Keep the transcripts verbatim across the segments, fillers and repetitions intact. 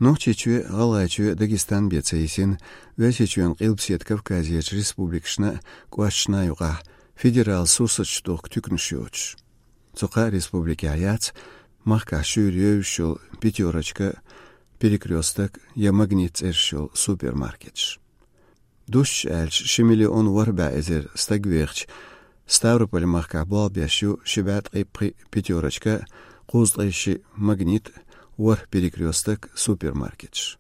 Нохчийчоь, ГӀалгӀайчоь, Дагестан бен ца йисина, Оьрсийчоьнан Къилбаседа Кавказерчу республикашна а, кӀошташна а юкъахь федерал сурсаташ дохку туьканаш йоцуш. Цу кхаа республикехь яц махкахь шуьйра евзаш йолу «Пятёрочка», «Перекрёсток» я «Магнит» цӀераш йолу супермаркеташ. Дусташ аьлча, ши миллион ворхӀ бӀе эзар стаг вехачу Ставрополь-махкахь болх беш ю ши бӀе ткъе пхиъ «Пятёрочка», кхузткъе шиъ «Магнит», ворхӀ «Перекрёсток» супермаркеташ.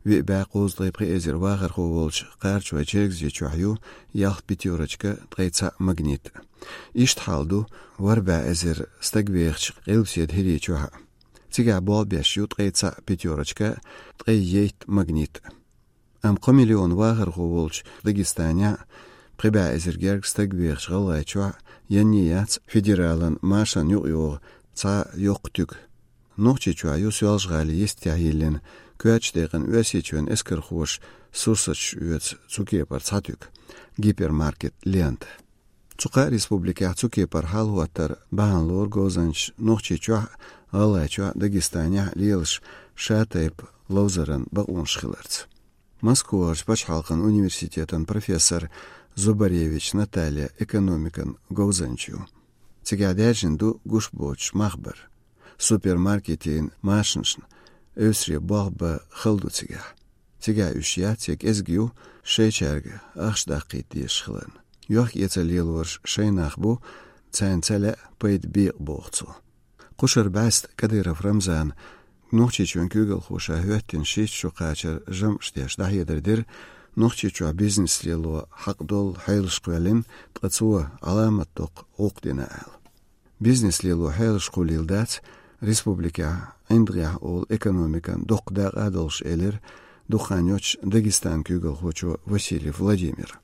Виъ бӀе кхузткъе пхи эзар вахархо волчу Кхарачой-Чергазийчохь ю ялх «Пятёрочка», ткъе цхьаъ «Магнит». Иштта хьал ду ворхӀ бӀе эзар стаг вехачу Къилбаседа ХӀирийчохь а. Цигахь болх беш ю ткъе цхьаъ «Пятёрочка», ткъе итт «Магнит». Амма кхо миллион вахархо волчу Дагестанехь а, пхи бӀе эзар гергга стаг вехачу ГӀалгӀайчохь а енний яц федералан машанна юкъайогӀу цхьа а йоккха туька. Нохчийчохь ю Соьлжа-ГӀалин йистехь йиллина, коьртачу декъана Оьрсийчоьнан эскархоша сурсаташ оьцу цу кепара цхьа туька — гипермаркет «Лента». Цу кхаа республикехь цу кепара хьал хӀоттар бахьана лору говзанчаша Нохчийчохь а, ГӀалгӀайчохь а, Дагестанехь а лелаш шатайпа ловзаран бакъонаш хиларца. Москварчу пачхьалкхан университетан профессор Зубаревич Наталья экономикан говзанча ю. Цигахь даьржина ду гуш боцуш махбар. Супермаркетийн машанашна эвсаре болх бан хала ду цигахь. Цигахь уьш яц я кӀезиг ю шайчаьрга ахча даккхийта дезаш хиларна. Йохк-эцар лелораш шайн нах бу, царна ца лаьа пайда бекъа, боху цо. Кхушара бӀаьста Кадыров Рамзана Нохчийчоьнан куьйгалхоша хӀоьттина шийтта шо кхачар жамӀаш деш дӀахьедар дира Нохчийчохь бизнес лело хьакъ долу хьелаш кхоьллина, ткъа цо Ӏаламат доккха гӀуллакх дина аьлла. Бизнес лело хьелаш кхуллийла дац республикехь ӀиндагӀехь олу экономикан доккха дакъа а долуш, элира дукха хан йоццуш Дагестанан куьйгалхочо Васильев Владимира.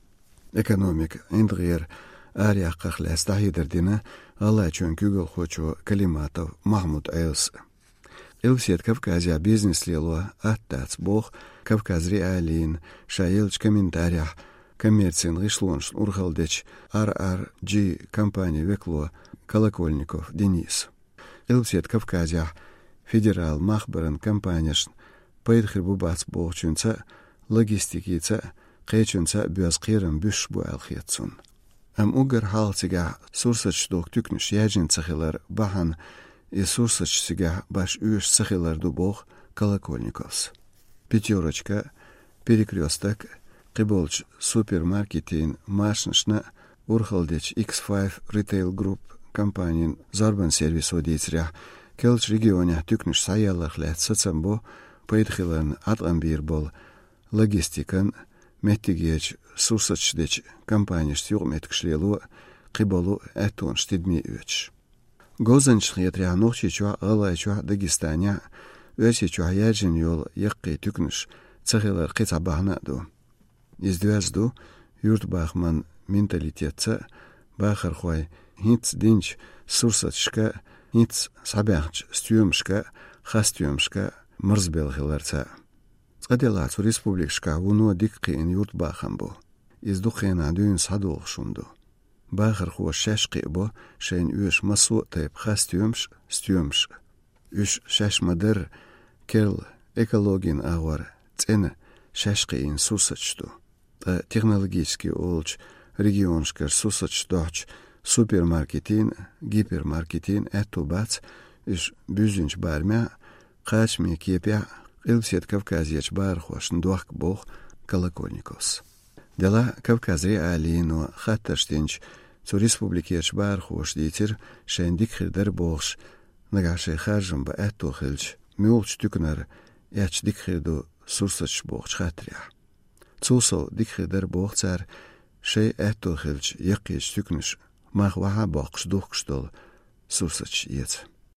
Экономика ӀиндагӀера араяккхарх лаьцна дӀахьедар дина ГӀалгӀайчоьнан куьйгалхочо Калиматов Махьмуд-Ӏелас. Къилбаседа Кавказехь бизнес лело атта дац, боху Кавказ.Реалиина ша еллачу комментарехь коммерцин гӀишлонашна урхалла дечу Ар Ар Джи компанин векало Колокольников Дениса. Къилбаседа Кавказехь федерал махбаран компанешна пайда хир бу-бац бохучуьнца а, логистикица а, кхечуьнца а боьзна кхерам буьсуш бу аьлла хета цунна. Амма уггар хьалха цигахь сурсаташ дохку туьканаш яьржина ца хилар бахьана, и сурсаташ цигахь баш оьшуш ца хилар ду, боху Колокольниковс. «Пятёрочка», «Перекрёсток», кхиболчу супермаркетийн машанашна урхалла дечу X five Retail Group компанин зорбан сервисо дийцарехь, керлачу регионехь туьканаш схьаяларх лаьцна сацам бо пайда хиларна Ӏаткъам бийр болу логистикан, меттигерчу сурсаташ дечу компанешца юкъаметтигаш лело, кхиболу аьттонаш тидаме оьцуш. Говзанчашна хетарехь, Нохчийчохь а, ГӀалгӀайчохь а, Дагестанехь а, Оьрсийчохь яьржина йолу яккхий туьканаш ца хилар кхин цхьа бахьана а ду. Иза доьзна ду юьртабахаман менталитетца а, бахархой хӀинцца динчу сурсаташка а, хӀинцца схьабаьхначу стоьмашка а, хасстоьмашка а марзбелла хиларца а. Цкъа-делахь цу республикашкахь вуно дика кхиъна юьртабахам бу. Иза дукха хенахь дуьйна схьадогӀуш хӀума ду. Бахархоша шаьш кхиабо шайна оьшу массо а тайпа хасстоьмаш а, стоьмаш а. Уьш шаьш ма-дарра керла, экологин агӀор цӀена, шаьш кхиийна сурсаташ ду. Ткъа технологически олучу регионашкара сурсаташ дохьучу супермаркетийн а, гипермаркетийн а аьтто бац уьш буьззинчу барамехь а, кхачаме кепехь а Къилбаседа Кавказерчу бахархошна дохка, боху Колокольниковс. Делахь а Кавказ.Реалиино хаттарш динчу цу республикерчу бахархоша дийцира, шайна дика хир дара бохуш, нагахь шайн харжам бан аьтто хилча, муьлхачу туьканара эцча дика хир ду сурсаташ бохучу хаттарехь. Цул сов дика хир дара боху цара, шайн аьтто хилча яккхийчу туьканаша мах вахьа а боккхуш духкуш долу сурсаташ эца.